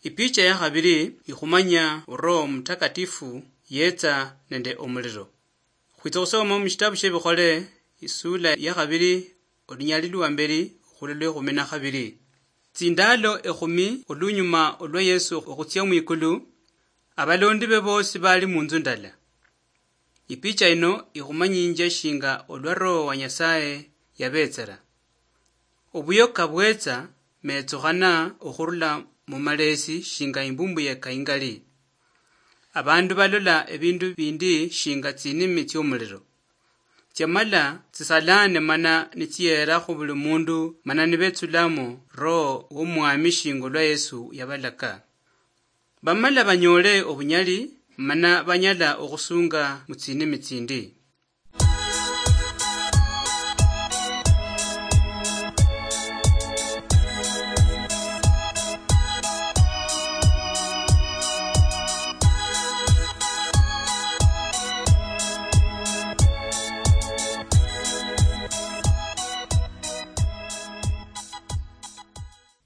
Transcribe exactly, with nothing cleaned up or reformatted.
Ipicha ya khabili ikhumanya Roho Mutakatifu yetsa nende omuliro. Khwitsa khusoma mushitabu shie Bikhole, isula ya khabili, olunyali lwa mbeli khulwa lwa ekhumi na khabili. Tsindalo ekhumi olunyuma olwa Yesu okhutsia mwikulu, abalondi be bosi bali munzu ndala. Ipicha ino ikhumanyinjia shinga olwa Roho wa Nyasaye yabetsera. Obuyoka bwetsa metsukhana okhurula mu malesi shinga imbumbu yeka ingali. Abandu balola ebindu bindi shinga tsinimi tsiomuliro. Tsiamala tsisalane mana nitsiyeera khu buli mundu mana nibetsulamo Roho womwami shinga olwa Yesu yabalaka. Bamala banyole obunyali mana banyala okhusunga mu tsinimi tsindi.